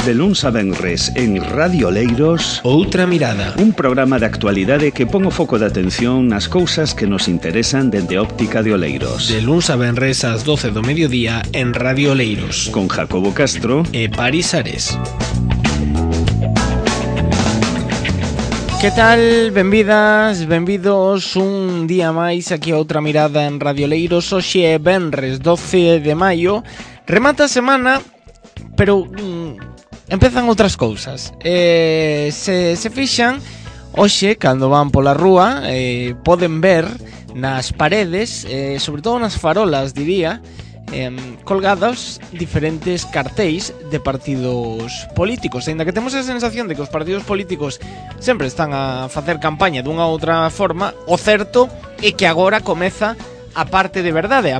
De luns a venres en Radio Oleiros, Outra Mirada, un programa de actualidade que pon o foco de atención nas cousas que nos interesan dende a óptica de Oleiros. de luns a venres ás 12 do mediodía en Radio Oleiros, Con Jacobo Castro e Paris Ares. Que tal? Benvidas, benvidos un día máis aquí a Outra Mirada en Radio Oleiros. Hoxe é venres 12 de maio. Remata a semana, pero empezan outras cousas. Se fixan, hoxe, cando van pola rúa, poden ver nas paredes, sobre todo nas farolas, diría, colgados diferentes cartéis de partidos políticos. Ainda que temos a sensación de que os partidos políticos sempre están a facer campaña dunha ou outra forma, o certo é que agora comeza a parte de verdade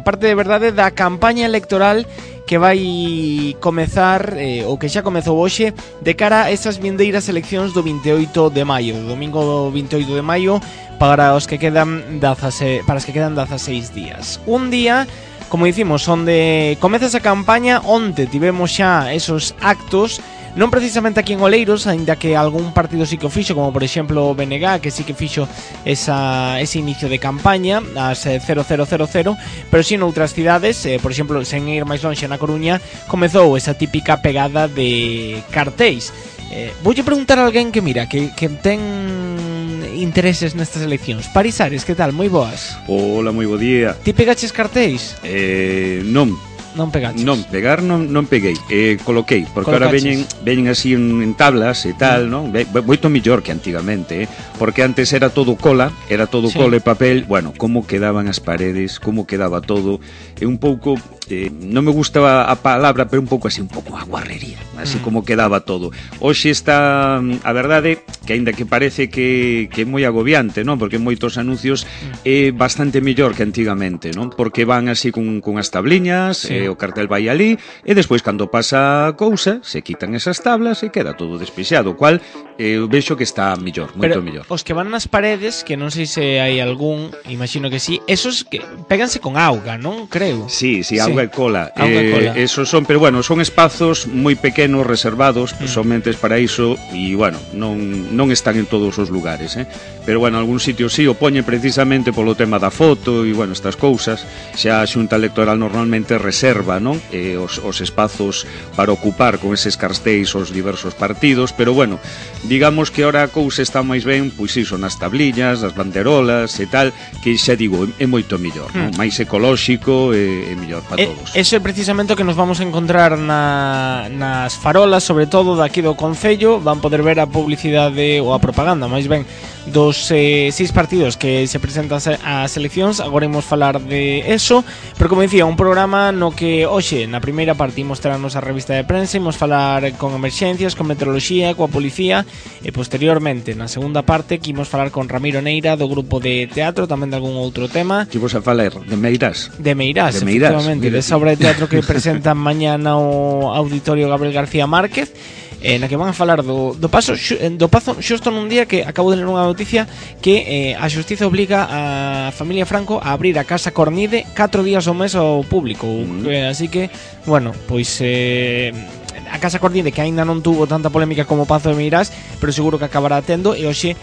da campaña electoral que vai comezar, ou que xa comezou hoxe, de cara a esas vindeiras eleccións do 28 de maio, do domingo 28 de maio, para os que quedan 16 días. Un día, como dicimos, onde comeza esa campaña, onde tivemos xa esos actos, non precisamente aquí en Oleiros, aínda que algún partido sí que o fixo, como por exemplo o BNG, que sí que fixo ese inicio de campaña ás 0000, pero sí noutras cidades, por exemplo, sen ir máis lonxe, na Coruña, comezou esa típica pegada de cartéis. Voulle preguntar a alguén que mira, que ten intereses nestas eleccións. Paris Ares, que tal? Moi boas. Hola, moi bo día. Ti pegaches cartéis? Non pegaches? Non, pegar non peguei, coloquei, porque ahora veñen así en tablas e tal, non? Moito mellor que antigamente, porque antes era todo cola, sí. Cola e papel. Bueno, como quedaban as paredes, como quedaba todo, e un pouco, non me gustaba a palabra, pero un pouco a guarrería, así como quedaba todo. Hoxe está, a verdade, que aínda que parece que é moi agobiante, non? Porque moitos anuncios é bastante mellor que antigamente, non? Porque van así con as tabliñas, sí. O cartel vai ali, e despois cando pasa a cousa, se quitan esas tablas e queda todo despexado, cual eu vexo que está mellor, moito mellor. Os que van nas paredes, que non sei se hai algún, imagino que sí, esos que péganse con auga, non? Creo. Sí, auga e cola. Esos son, pero bueno, son espazos moi pequenos, reservados, somente para iso, e bueno, non están en todos os lugares, pero bueno, algún sitio sí o poñen precisamente polo tema da foto e bueno, estas cousas. Xa a Xunta Electoral normalmente reserva, non? Os espazos para ocupar con eses cartéis os diversos partidos, pero bueno, digamos que ahora a cousa está máis ben, pois iso, nas tabliñas, nas banderolas e tal, que xa digo, é moito mellor, non? Máis ecolóxico e mellor para todos. Eso é precisamente o que nos vamos a encontrar nas farolas, sobre todo daqui do Concello. Van poder ver a publicidade ou a propaganda, máis ben, dos 6 partidos que se presentan ás eleccións. Agora imos falar de eso, pero como dicía, un programa no que hoxe, na primeira parte, imos traernos a revista de prensa, imos falar con emerxencias, con meteoroloxía, coa policía, e posteriormente, na segunda parte, que imos falar con Ramiro Neira, do grupo de teatro, tamén de algún outro tema. Que vos a falar de Meirás. De Meirás, efectivamente, desa obra de teatro que presentan mañana o Auditorio Gabriel García Márquez, na que van a falar do pazo xusto nun día que acabo de ler unha noticia que a xustiza obliga a familia Franco a abrir a Casa Cornide 4 días ao mes ao público, así que, bueno, pois a Casa Cornide, que aínda non tuvo tanta polémica como Pazo de Meirás, pero seguro que acabará tendo, e hoxe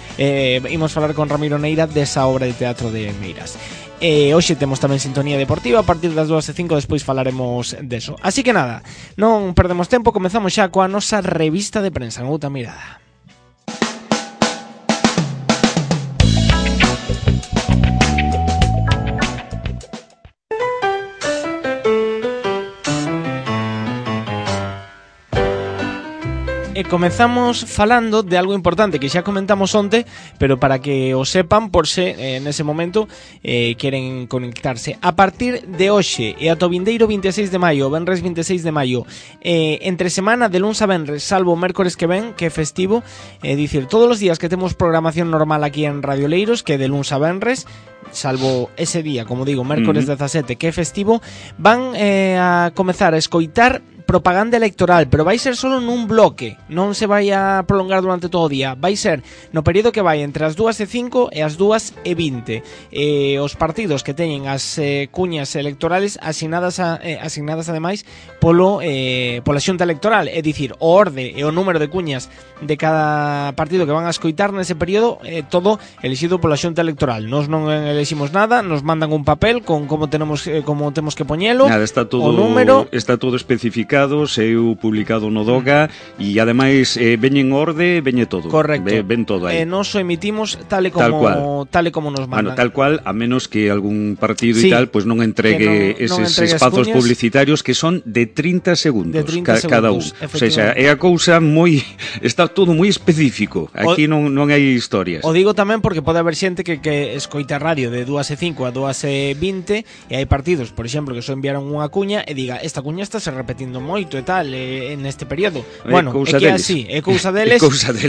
imos falar con Ramiro Neira desa obra de teatro de Meirás. Hoxe temos tamén sintonía deportiva a partir das 2:05, despois falaremos deso. Así que nada, non perdemos tempo, comezamos xa coa nosa revista de prensa en Outra Mirada. E comezamos falando de algo importante que xa comentamos onte, pero para que o sepan, por se nese momento queren conectarse. A partir de hoxe e ata o vindeiro 26 de maio, venres 26 de maio, entre semana de luns a venres, salvo o mércores que ven, que é festivo, dicir, todos os días que temos programación normal aquí en Radio Oleiros, que de luns a venres, salvo ese día, como digo, mércores 17, que é festivo, van a comezar a escoitar propaganda electoral, pero vai ser solo nun bloque, non se vai a prolongar durante todo o día, vai ser no período que vai entre as 2:05 e as 2:20. Os partidos que teñen as cuñas electorales asignadas ademais pola Xunta Electoral, é dicir, o orde e o número de cuñas de cada partido que van a escoitar nese período, todo elixido pola Xunta Electoral. Nós non eliximos nada, nos mandan un papel con como temos que poñelo, nada, está todo, o número, está todo especificado, saiu publicado no DOGA e ademais veñen orde, veñe todo. Correcto. Ven todo aí. Nos o emitimos tal e como nos mandan. Bueno, tal cual, a menos que algún partido e tal pues non entregue eses espazos publicitarios que son de 30 segundos, cada un. O sea, é a cousa moi está todo moi específico. Aquí non hai historias. O digo tamén porque pode haber xente que escoita radio de 2:05 a 2:20 e hai partidos, por exemplo, que só enviaron unha cuña e diga, esta cuña está se repetindo moito e tal neste período. Bueno, é que é así, é cousa deles.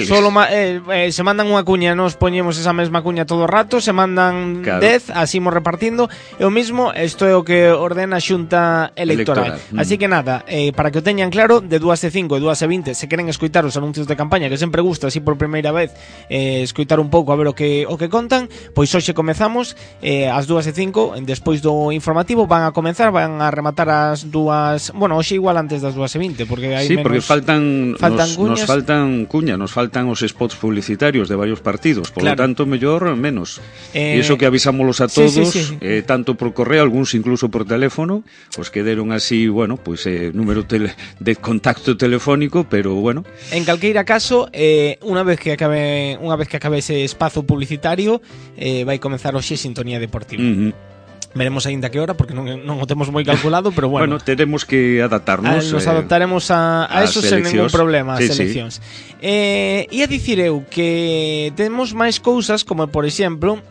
Solo se mandan unha cuña, nos poñemos esa mesma cuña todo o rato, se mandan 10, así imos repartindo, e o mismo, isto é o que ordena a Xunta Electoral. Así que nada, para que o teñan claro, de 2:05 e 2:20, se queren escoitar os anuncios de campaña, que sempre gusta así por primeira vez escoitar un pouco a ver o que contan, pois hoxe comezamos ás 2:05, despois do informativo van a rematar as 2, bueno, hoxe igual antes das 2:20, porque hai menos. Porque nos faltan cuñas, nos faltan os spots publicitarios de varios partidos, por lo tanto mellor menos. E iso que avisámolos a todos, tanto por correo, algúns incluso por teléfono, os que deron así, bueno, pois número de contacto telefónico, pero bueno. En calqueira caso, unha vez que acabe ese espazo publicitario, vai comezar hoxe Sintonía Deportiva. Veremos aínda que hora, porque non o temos moi calculado, pero bueno. Bueno, teremos que adaptarnos. Nos adaptaremos a eso sen ningún problema, as seleccións. E a dicir eu que temos máis cousas, como por exemplo,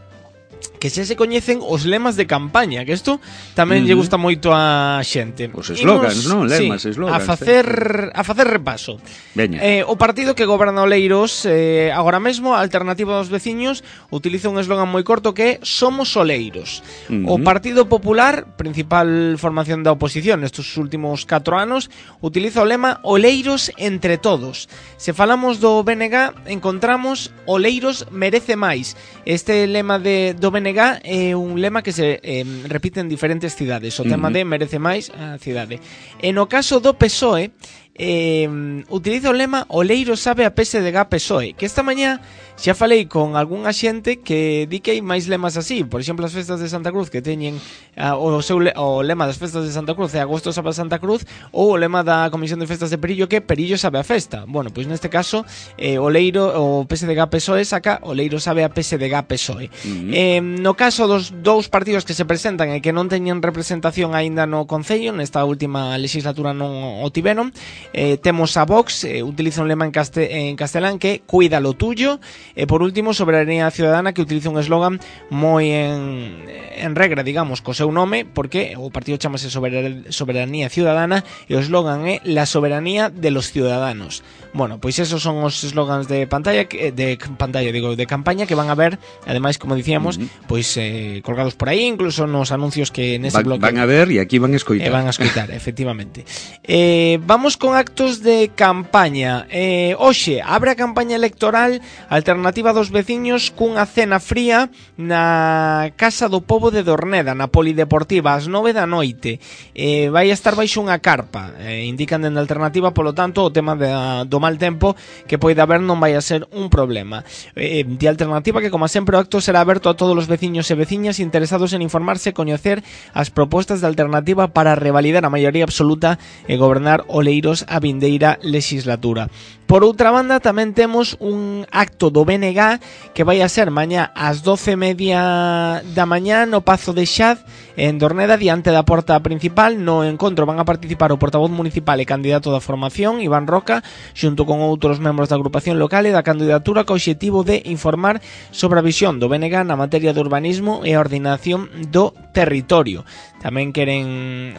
que xa se coñecen os lemas de campaña, que isto tamén lle gusta moito a xente. Os slogans, non? Lemas, slogans. A facer repaso. Veña. O partido que goberna Oleiros agora mesmo, a Alternativa dos Veciños, utiliza un eslogan moi corto que é Somos Oleiros. O Partido Popular, principal formación da oposición nestes últimos 4 anos, utiliza o lema Oleiros entre todos. Se falamos do BNG, encontramos Oleiros merece máis. Este lema do BNG é un lema que se repite en diferentes cidades. O tema de merece máis a cidade. E no caso do PSOE, utiliza o lema Oleiros sabe a PSDG-PSOE, que esta mañá xa falei con algunha xente que di que hai máis lemas así. Por exemplo, as festas de Santa Cruz que teñen o lema das festas de Santa Cruz é Agosto sabe a Santa Cruz, ou o lema da Comisión de Festas de Perillo que Perillo sabe a festa. Bueno, pois neste caso o PSDG-PSOE saca Oleiros sabe a PSDG-PSOE. No caso dos dous partidos que se presentan e que non teñen representación aínda no Concello, nesta última legislatura non o tiveron, temos a Vox, utiliza un lema en castelán que cuida lo tuyo, e por último Soberanía Ciudadana, que utiliza un eslogan moi en regra, digamos, co seu nome, porque o partido chamase Soberanía Ciudadana e o eslogan é la soberanía de los ciudadanos. Bueno, pois esos son os eslogans de campaña que van a ver, ademais, como dicíamos, pois colgados por aí, incluso nos anuncios que nese bloque van a ver e aquí van a escoitar. Efectivamente. Vamos con actos de campaña. Hoxe abre a campaña electoral Alternativa dos Veciños cunha cena fría na Casa do Pobo de Dorneda, na Polideportiva, ás 9 da noite. Vai estar baixo unha carpa. Indican dende Alternativa, polo tanto, o tema do mal tempo que poida haber non vai a ser un problema. De Alternativa que, como sempre, o acto será aberto a todos os veciños e veciñas interesados en informarse e coñecer as propostas de Alternativa para revalidar a maioría absoluta e gobernar Oleiros a vindeira legislatura. Por outra banda, tamén temos un acto do BNG que vai a ser mañá ás 12:30 da mañá no Pazo de Xad, en Dorneda, diante da porta principal. No encontro van a participar o portavoz municipal e candidato da formación, Iván Roca, xunto con outros membros da agrupación local e da candidatura, co obxectivo de informar sobre a visión do BNG na materia de urbanismo e a ordenación do territorio. Tamén queren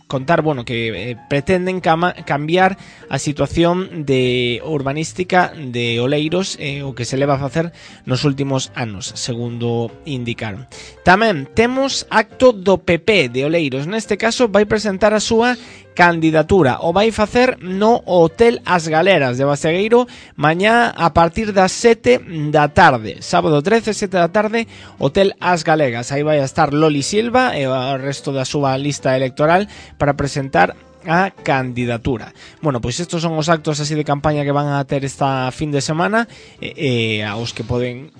contar, bueno, que pretenden cambiar a situación de urbanística de Oleiros, o que se leva a facer nos últimos anos, segundo indicaron. Tamén temos acto do PP de Oleiros, neste caso vai presentar a súa candidatura, o vai facer no Hotel As Galeras de Basegueiro mañá a partir das 7 da tarde, sábado 13, 7 da tarde, Hotel As Galegas. Aí vai a estar Loli Silva e o resto da súa lista electoral para presentar a candidatura. Bueno, pois estos son os actos así de campaña que van a ter esta fin de semana, aos que poden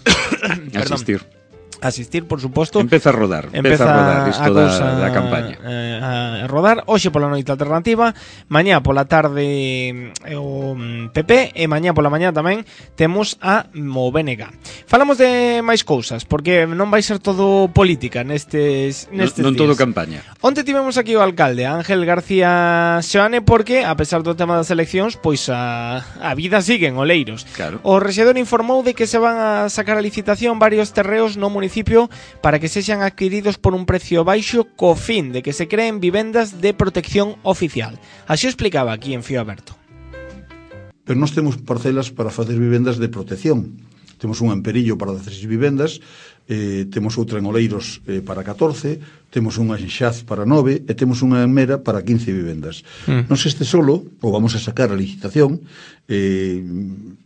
asistir, por suposto. Empeza a rodar isto da campaña. A rodar. Hoxe pola noite alternativa, mañá pola tarde o PP e mañá pola mañá tamén temos a o BNG. Falamos de máis cousas, porque non vai ser todo política nestes non días. Todo campaña. Onte tivemos aquí o alcalde Ángel García Seoane, porque, a pesar do tema das eleccións, pois a vida sigue en Oleiros. Claro. O rexedor informou de que se van a sacar a licitación varios terreos no municipio para que sexan adquiridos por un precio baixo co fin de que se creen vivendas de protección oficial. Así o explicaba aquí en Fío Aberto. Pero nós temos parcelas para facer vivendas de protección. Temos unha en Perillo para 16 vivendas, temos outra en Oleiros para 14, temos unha en Xaz para 9 e temos unha en Mera para 15 vivendas. Nos este solo, ou vamos a sacar a licitación,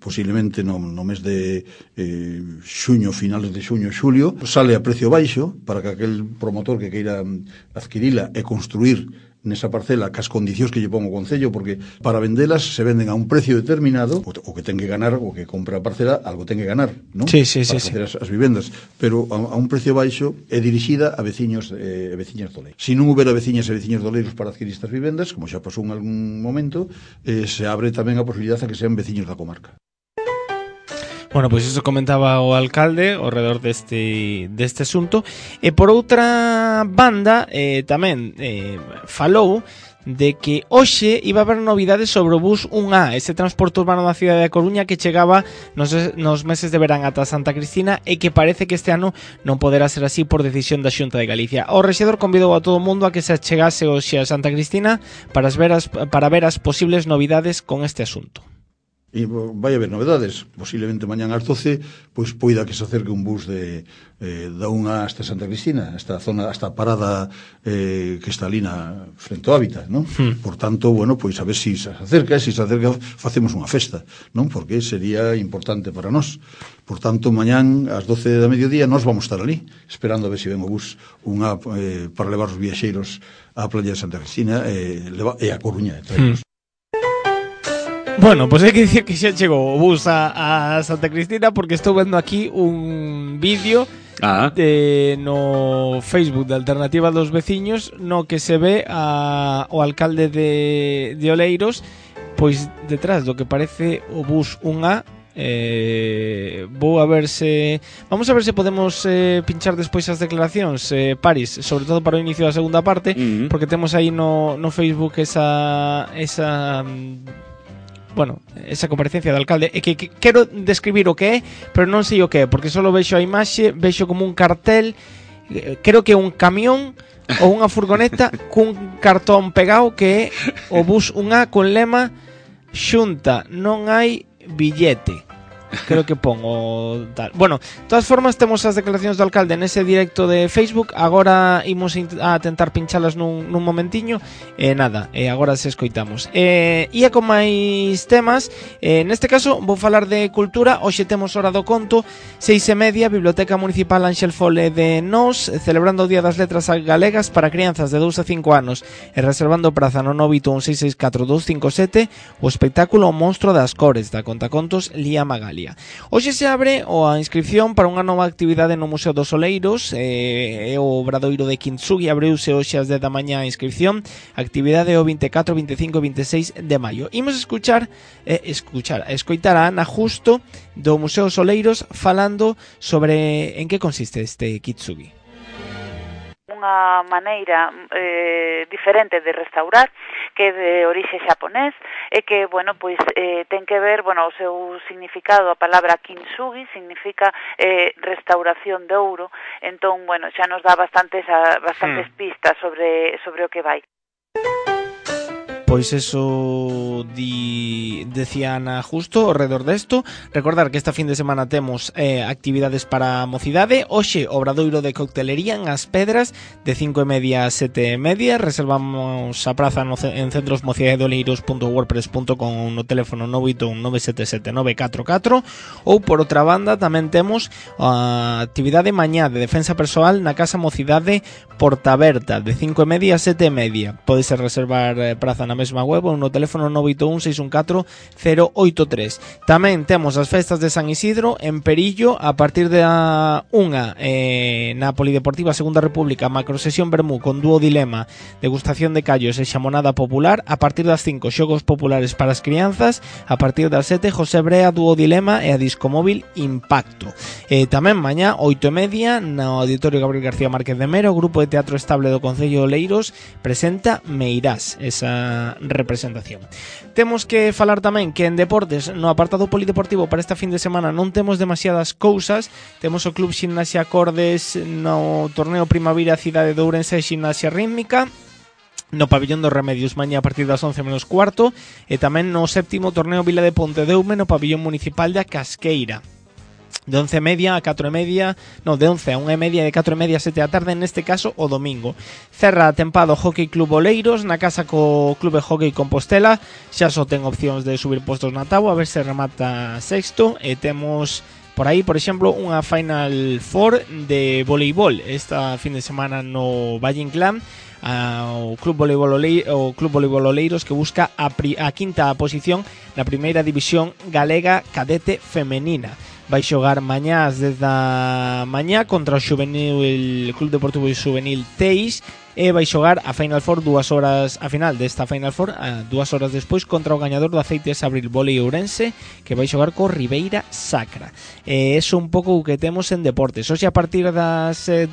posiblemente no mes de xuño, finales de xuño, xulio, sale a precio baixo para que aquel promotor que queira adquirila e construir nesa parcela cas condicións que lle pon o Concello, porque para vendelas se venden a un precio determinado, o que ten que ganar, o que compra a parcela, algo ten que ganar, non? Sí, para facer as vivendas, pero a un precio baixo é dirixida a veciños e veciñas do Oleiros. Se non houbera veciñas e veciños do Oleiros para adquirir estas vivendas, como xa pasou en algún momento, se abre tamén a posibilidade a que sean veciños da comarca. Bueno, pois iso comentaba o alcalde ao redor deste asunto. E por outra banda, tamén falou de que hoxe iba a haber novidades sobre o bus 1A, ese transporte urbano da cidade da Coruña que chegaba nos meses de verán ata Santa Cristina e que parece que este ano non poderá ser así por decisión da Xunta de Galicia. O rexedor convidou a todo o mundo a que se achegase hoxe a Santa Cristina para ver as posibles novidades con este asunto. E vai haber novedades, posiblemente mañán ás 12 pois poida que se acerque un bus da unha hasta Santa Cristina, hasta a zona, hasta a parada que está ali frente ao hábitat, non? Por tanto, bueno, pois a ver se se acerca, facemos unha festa, non? Porque sería importante para nós. Por tanto, mañán ás 12 da mediodía nós vamos estar ali, esperando a ver se ven o bus para levar os viaxeiros á playa de Santa Cristina e a Coruña, traemos. Bueno, pois hai que dicir que xa chegou o bus a Santa Cristina, porque estou vendo aquí un vídeo no Facebook de Alternativa dos Veciños no que se ve o alcalde de Oleiros pois detrás do que parece o bus 1A. Vamos a ver se podemos pinchar despois as declaracións, Paris, sobre todo para o inicio da segunda parte, porque temos aí no Facebook esa comparecencia do alcalde, e que quero describir o que é, pero non sei o que é, porque só vexo a imaxe, vexo como un cartel, creo que é un camión ou unha furgoneta cun cartón pegado que é o bus 1A con lema Xunta, non hai billete. Creo que pongo tal. Bueno, de todas formas temos as declaracións do alcalde nese directo de Facebook. Agora imos a tentar pinchalas nun momentiño. Agora se escoitamos. Ia con máis temas. Neste caso vou falar de cultura. Hoxe temos Hora do Conto, 6:30, Biblioteca Municipal Ángel Fole de Nós, celebrando o Día das Letras Galegas para crianzas de 2 a 5 anos e reservando praza no 981664257 o espectáculo O Monstro das Cores da contacontos Lía Magali. Hoxe se abre a inscripción para unha nova actividade no Museo dos Oleiros, o Obradoiro de Kintsugi. Abriuse hoxe ás 10 da mañá a inscripción. Actividade o 24, 25 e 26 de maio. Imos escoitar a Ana Justo do Museo dos Oleiros falando sobre en que consiste este Kintsugi. Unha maneira diferente de restaurar, que é de orixe xaponés, e que, pois ten que ver, o seu significado, a palabra kintsugi significa restauración de ouro. Entón, xa nos dá bastantes pistas sobre o que vai. Pois eso decía Ana justo ao redor desto. Recordar que esta fin de semana temos actividades para a mocidade. Hoxe, obradoiro de coctelería en As Pedras de 5:30 a 7:30. Reservamos a praza en centrosmocidadeoleiros.wordpress.com ou no teléfono 981 977 944. Ou por outra banda tamén temos a actividade mañá de defensa persoal na Casa Mocidade Portaberta de 5:30 a 7:30. Podes reservar praza na mesma web ou no teléfono 981 614 083. Tamén temos as festas de San Isidro en Perillo a partir de a 1 na Polideportiva Segunda República, macrosesión vermú con dúo dilema, degustación de callos e xamonada popular. A partir das 5 xogos populares para as crianzas. A partir das 7 José Brea, dúo dilema e a discomóvil Impacto. Tamén mañá 8:30 no Auditorio Gabriel García Márquez de Mero, o Grupo de Teatro Estable do Concello de Oleiros presenta Meirás, esa representación. Temos que falar tamén que en deportes, no apartado polideportivo para esta fin de semana non temos demasiadas cousas. Temos o Club Ximnasia Cordes no torneo Primavera Cidade de Ourense e Ximnasia Rítmica no pabillón dos Remedios mañá a partir das 11:15 e tamén no séptimo torneo Vila de Pontedeume no pabillón municipal da Casqueira de 11:30 a 4:30, no, de 11 a 1:30 e de 4:30 a 7 da tarde, neste caso o domingo. Cerra a tempada o Hockey Club Oleiros na casa co Clube Hockey Compostela. Xa só ten opcións de subir postos na táboa, a ver se remata sexto, e temos por aí, por exemplo, unha Final Four de voleibol esta fin de semana no Valle Inclán. O Club Voleibol Oleiros que busca a quinta posición na primeira división galega cadete femenina. Vai xogar mañás desde a mañá contra o Club Deportivo Juvenil Teis e vai xogar a Final Four 2 horas, a final desta Final Four 2 horas despois contra o gañador do Aceites Abril Volei Ourense, que vai xogar co Ribeira Sacra. Eso un pouco o que temos en deportes. Hoxe a partir das 2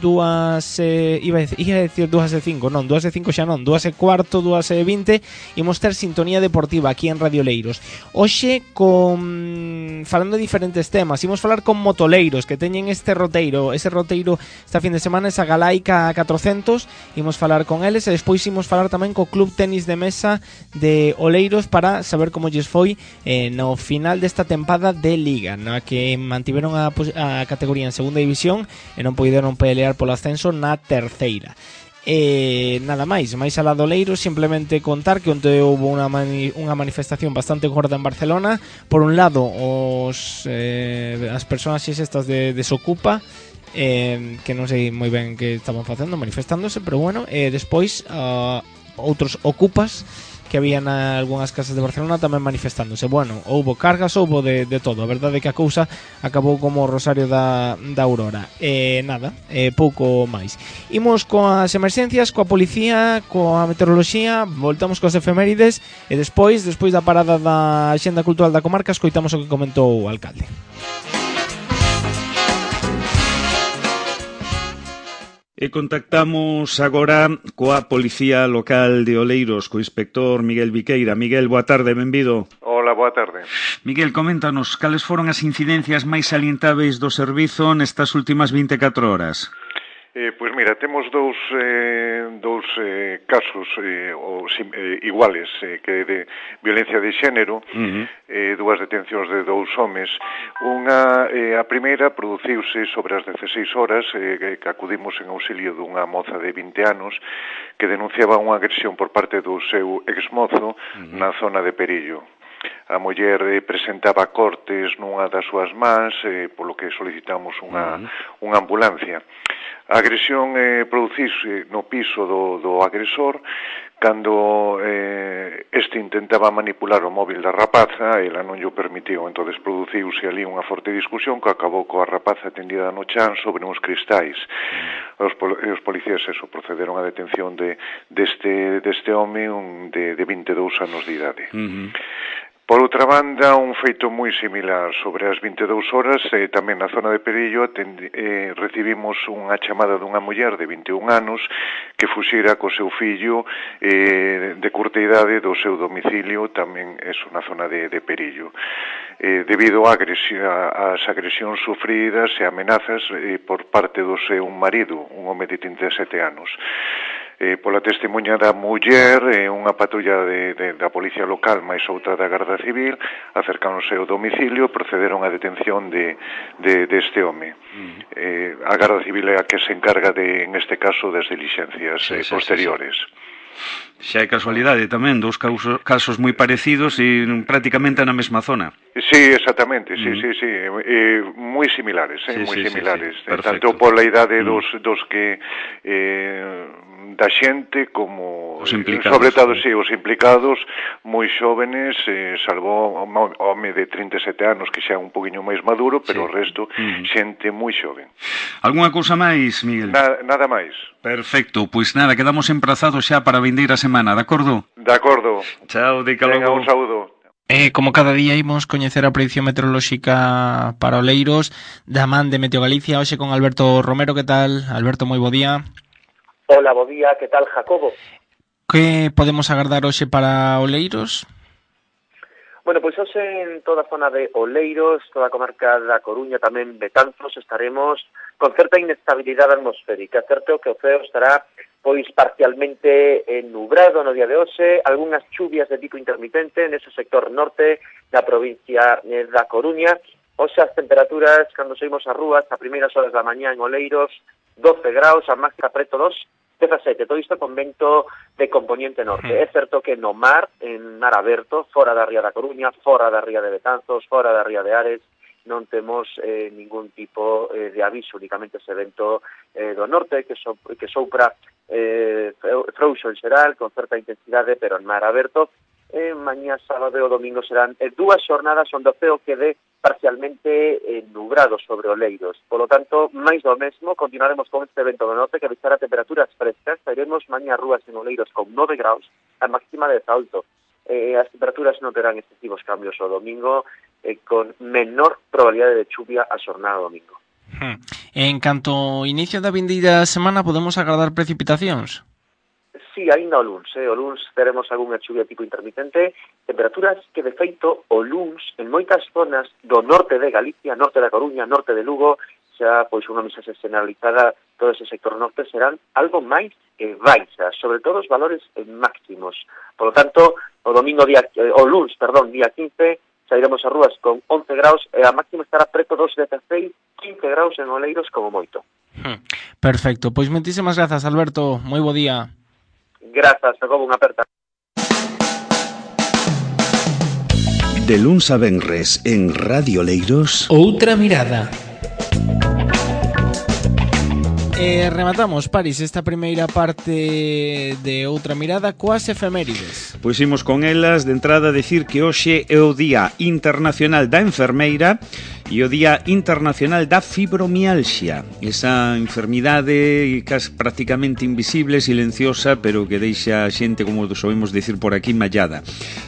iba a decir 2:05, non, 2:05 xa non, 2:15, 2:20 imos ter sintonía deportiva aquí en Radio Leiros. Hoxe falando de diferentes temas, imos falar con motoleiros que teñen ese roteiro esta fin de semana, esa Galaica 400. Imos falar con eles e despois imos falar tamén co Club Tenis de Mesa de Oleiros para saber como lles foi no final desta tempada de Liga, na que mantiveron a categoría en segunda división e non poideron pelear polo ascenso na terceira. Nada máis alá do Oleiros, simplemente contar que onte houve unha manifestación bastante gorda en Barcelona. Por un lado, as personaxes estas de Desocupa, que non sei moi ben que estaban facendo, manifestándose, pero bueno, despois outros ocupas que había en algunhas casas de Barcelona tamén manifestándose. Bueno, houbo cargas, houbo de todo. A verdade é que a cousa acabou como o Rosario da Aurora. Pouco máis. Imos coas emerxencias, coa policía, coa meteoroloxía, voltamos coas efemérides e despois da parada da Axenda Cultural da Comarca, escoitamos o que comentou o alcalde. E contactamos agora coa Policía Local de Oleiros, co inspector Miguel Viqueira. Miguel, boa tarde, benvido. Hola, boa tarde. Miguel, coméntanos, cales foron as incidencias máis salientáveis do servizo nestas últimas 24 horas? Pois mira, temos dous casos iguales que de violencia de xénero, dúas detencións de dous homes. A primeira produciuse sobre as 16 horas que acudimos en auxilio dunha moza de 20 anos que denunciaba unha agresión por parte do seu exmozo na zona de Perillo. A muller presentaba cortes nunha das súas mans, polo que solicitamos unha ambulancia. A agresión produciuse no piso do agresor cando este intentaba manipular o móvil da rapaza, ela non lle permitiu, entonces produciuse ali unha forte discusión que acabou coa rapaza tendida no chan sobre uns cristais. Os policías procederon á detención deste home de 22 anos de idade. Por outra banda, un feito moi similar sobre as 22 horas, tamén na zona de Perillo, recibimos unha chamada dunha muller de 21 anos que fuxira co seu fillo de curta idade do seu domicilio, tamén na zona de Perillo. Debido ás agresións sufridas e amenazas por parte do seu marido, un home de 37 anos. pola testemunha da muller, unha patrulla da policía local máis outra da Garda Civil acercáronse ao domicilio, procederon á detención deste home. A Garda Civil é a que se encarga neste caso das dilixencias posteriores. Xa é casualidade tamén, dous casos moi parecidos e prácticamente na mesma zona. Sí, exactamente, sí, moi similares, moi similares, tanto pola idade dos que da xente como os implicados, sobre todo os implicados moi xóvenes, salvo o home de 37 anos que xa é un poquinho máis maduro, pero o resto xente moi xoven. Algúna cousa máis, Miguel? Nada máis. Perfecto, pois nada, quedamos emprazados xa para a vindeira semana, de acordo? De acordo. Chao, dica logo. Venga, un saúdo. Como cada día imos coñecer a predicción meteorolóxica para Oleiros da man de Meteo Galicia, hoxe con Alberto Romero. Que tal? Alberto, moi bo día. Hola, bo día, que tal, Jacobo? Que podemos agardar hoxe para Oleiros? Bueno, pois hoxe en toda a zona de Oleiros, toda a comarca da Coruña, tamén Betanzos, estaremos con certa inestabilidade atmosférica. Certo que o ceo estará pois parcialmente nubrado no día de hoxe, algunhas chuvias de tipo intermitente nese sector norte da provincia da Coruña. Hoxe as temperaturas, cando saímos ás rúas, a primeiras horas da mañá en Oleiros, 12 graus, a máxima preto 17, todo isto con vento de componente norte. É certo que no mar, en mar aberto, fora da ría da Coruña, fora da ría de Betanzos, fora da ría de Ares, non temos ningún tipo de aviso, únicamente ese vento do norte que sopra frouxo en xeral, con certa intensidade, pero en mar aberto. Mañá, sábado e o domingo serán dúas xornadas onde o ceo quede parcialmente nubrado sobre Oleiros. Por lo tanto, máis do mesmo, continuaremos con este vento do norte que deixará temperaturas frescas. Sairemos mañá rúas en Oleiros con 9 graus, a máxima de alto. As temperaturas non terán excesivos cambios o domingo, con menor probabilidade de chuvia a xornada domingo. En canto ao inicio da vindeira semana, podemos agardar precipitacións? Sí, aínda o luns. O luns teremos algunha chuvia tipo intermitente, temperaturas que, de feito, o luns, en moitas zonas do norte de Galicia, norte da Coruña, norte de Lugo, xa, pois, unha mensaxe generalizada, todo ese sector norte serán algo máis baixas, sobre todo os valores máximos. Por lo tanto, o luns, día 15, sairemos a rúas con 11 graus e a máxima estará preto dos 16, 15 graus en Oleiros como moito. Perfecto, pois moitísimas grazas, Alberto, moi bo día. Grazas, Jacobo, unha aperta. De luns a venres en Radio Oleiros, Outra mirada. Rematamos, Paris, esta primeira parte de Outra mirada coas efemérides. Pois imos con elas. De entrada decir que hoxe é o Día Internacional da Enfermeira e o Día Internacional da Fibromialxia, esa enfermidade prácticamente invisible, silenciosa, pero que deixa a xente, como soemos dicir por aquí, mallada.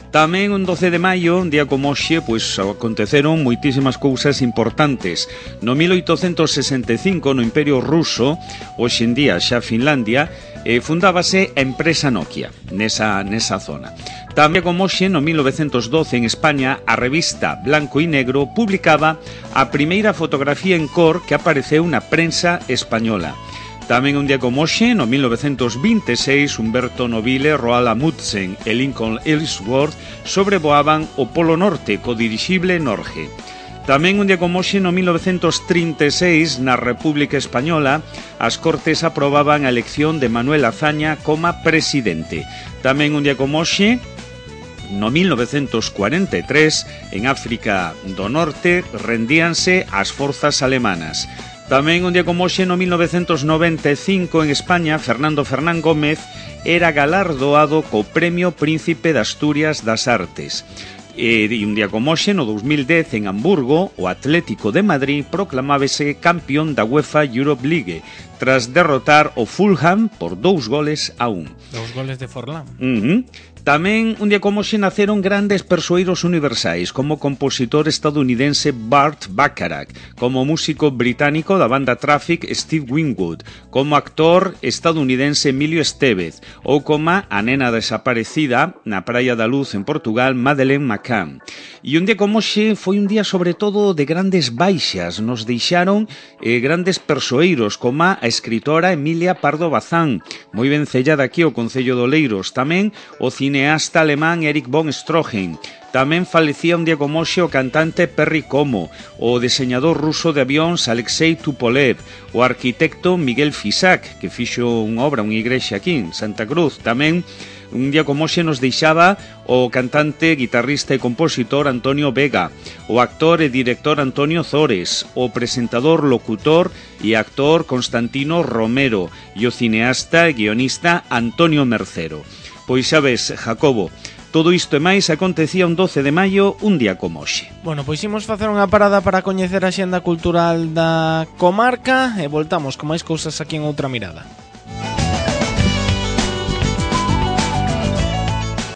Tamén un 12 de maio, un día como hoxe, pois aconteceron moitísimas cousas importantes. No 1865, no Imperio Ruso, hoxe en día xa Finlandia, fundábase a empresa Nokia nesa zona. Tamén como hoxe, no 1912, en España, a revista Blanco e Negro publicaba a primeira fotografía en cor que apareceu na prensa española. Tamén un día como hoxe, no 1926, Humberto Nobile, Roald Amundsen e Lincoln Ellsworth sobrevoaban o Polo Norte co dirixible Norge. Tamén un día como hoxe, no 1936, na República Española, as Cortes aprobaban a elección de Manuel Azaña como presidente. Tamén un día como hoxe, no 1943, en África do Norte, rendíanse as forzas alemanas. Tamén un día como hoxe, no 1995, en España, Fernando Fernán Gómez era galardoado co Premio Príncipe de Asturias das Artes. E un día como hoxe, no 2010, en Hamburgo, o Atlético de Madrid proclamábase campeón da UEFA Europe League, tras derrotar o Fulham por 2-1. 2 goles de Forlán. Tamén un día como hoxe naceron grandes persoeiros universais, como o compositor estadounidense Burt Bacharach, como músico británico da banda Traffic Steve Winwood, como actor estadounidense Emilio Estevez, ou como a nena desaparecida na Praia da Luz en Portugal, Madeleine McCann. E un día como hoxe foi un día sobre todo de grandes baixas, nos deixaron grandes persoeiros, como a a escritora Emilia Pardo Bazán, moi vencella daqui o Concello de Oleiros. Tamén o cineasta alemán Erich von Stroheim. Tamén falecía un día como hoxe o cantante Perry Como, o deseñador ruso de avións Alexei Tupolev, o arquitecto Miguel Fisac, que fixo unha obra, unha igrexa aquí en Santa Cruz. Tamén un día como hoxe nos deixaba o cantante, guitarrista e compositor Antonio Vega, o actor e director Antonio Zores, o presentador, locutor e actor Constantino Romero e o cineasta e guionista Antonio Mercero. Pois xa ves, Jacobo, todo isto e máis acontecía un 12 de maio, un día como hoxe. Bueno, pois imos facer unha parada para coñecer a xenda cultural da comarca e voltamos con máis cousas aquí en Outra Mirada.